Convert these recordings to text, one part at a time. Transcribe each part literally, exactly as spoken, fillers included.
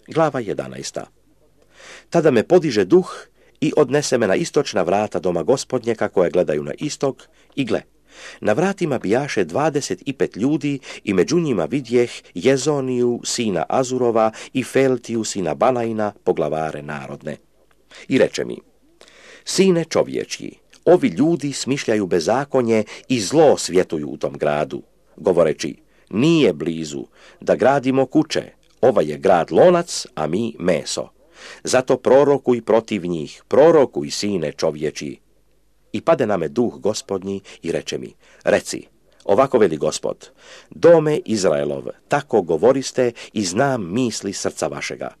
Glava jedanaesta. Tada me podiže duh i odnese me na istočna vrata doma Gospodnjeka koje gledaju na istok i gle. Na vratima bijaše dvadeset i pet ljudi i među njima vidjeh Jezoniju, sina Azurova i Feltiju, sina Balaina, poglavare narodne. I reče mi, sine čovječji, ovi ljudi smišljaju bezakonje i zlo svjetuju u tom gradu, govoreći, nije blizu da gradimo kuće, ovaj je grad lonac, a mi meso. Zato prorokuj protiv njih, prorokuj, sine čovječji. I pade na me duh Gospodnji i reče mi, reci, ovako veli Gospod, dome Izraelov, tako govoriste i znam misli srca vašega.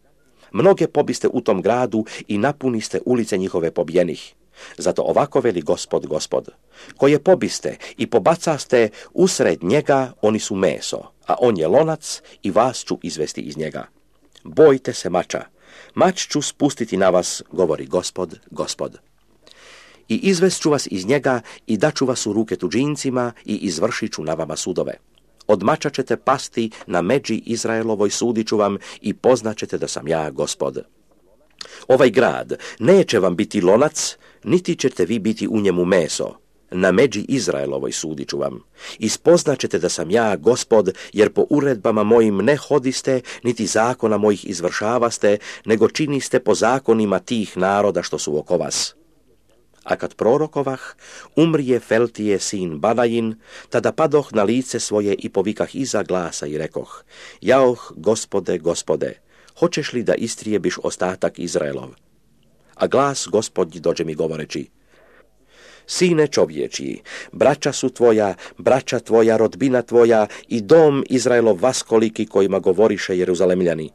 Mnoge pobiste u tom gradu i napuniste ulice njihove pobjenih. Zato ovako veli Gospod, Gospod, koje pobiste i pobacaste usred njega, oni su meso, a on je lonac i vas ću izvesti iz njega. Bojte se mača, mač ću spustiti na vas, govori Gospod, Gospod. I izvest ću vas iz njega i daću vas u ruke tuđincima i izvršit ću na vama sudove. Od mača ćete pasti na međi Izraelovoj, sudit ću vam i poznaćete da sam ja Gospod. Ovaj grad neće vam biti lonac, niti ćete vi biti u njemu meso. Na međi Izraelovoj sudit ću vam. I spoznaćete da sam ja Gospod, jer po uredbama mojim ne hodiste, niti zakona mojih izvršavaste, nego činiste po zakonima tih naroda što su oko vas. A kad prorokovah, umrije Feltije sin Balain, tada padoh na lice svoje i povikah iza glasa i rekoh, jaoh, Gospode, Gospode, hoćeš li da istrijebiš ostatak Izraelov? A glas Gospodnji dođe mi govoreći, sine čovječji, braća su tvoja, braća tvoja, rodbina tvoja i dom Izraelov vaskoliki kojima govoriše Jeruzalemljani.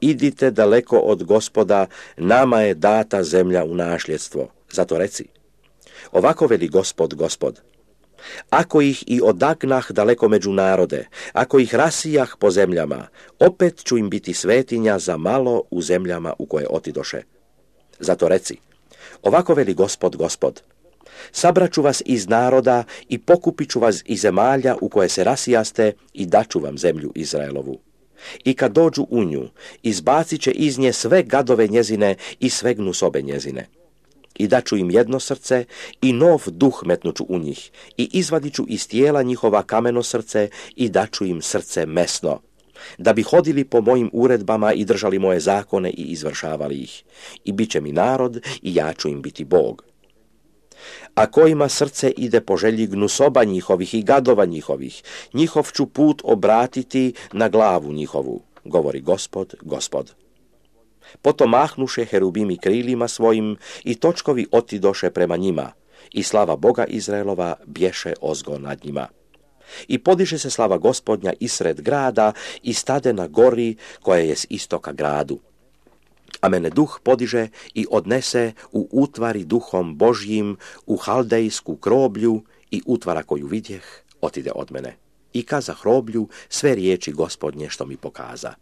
Idite daleko od Gospoda, nama je data zemlja u nasljedstvo. Zato reci, ovako veli Gospod, Gospod, ako ih i odagnah daleko među narode, ako ih rasijah po zemljama, opet ću im biti svetinja za malo u zemljama u koje otidoše. Zato reci, ovako veli Gospod, Gospod, sabraću vas iz naroda i pokupit ću vas iz zemalja u koje se rasijaste i daću vam zemlju Izraelovu. I kad dođu u nju, izbacit će iz nje sve gadove njezine i sve gnusobe njezine. I daću im jedno srce i nov duh metnuću u njih i izvadit ću iz tijela njihova kameno srce i daću im srce mesno, da bi hodili po mojim uredbama i držali moje zakone i izvršavali ih. I bit će mi narod i ja ću im biti Bog. A kojima srce ide po želji gnusoba njihovih i gadova njihovih, njihov ću put obratiti na glavu njihovu, govori Gospod, Gospod. Potom mahnuše herubimi krilima svojim i točkovi otidoše prema njima i slava Boga Izraelova bješe ozgo nad njima. I podiže se slava Gospodnja isred grada i stade na gori koja je s istoka gradu. A mene duh podiže i odnese u utvari duhom Božjim u haldejsku kroblju i utvara koju vidjeh otide od mene. I kaza hroblju sve riječi Gospodnje što mi pokaza.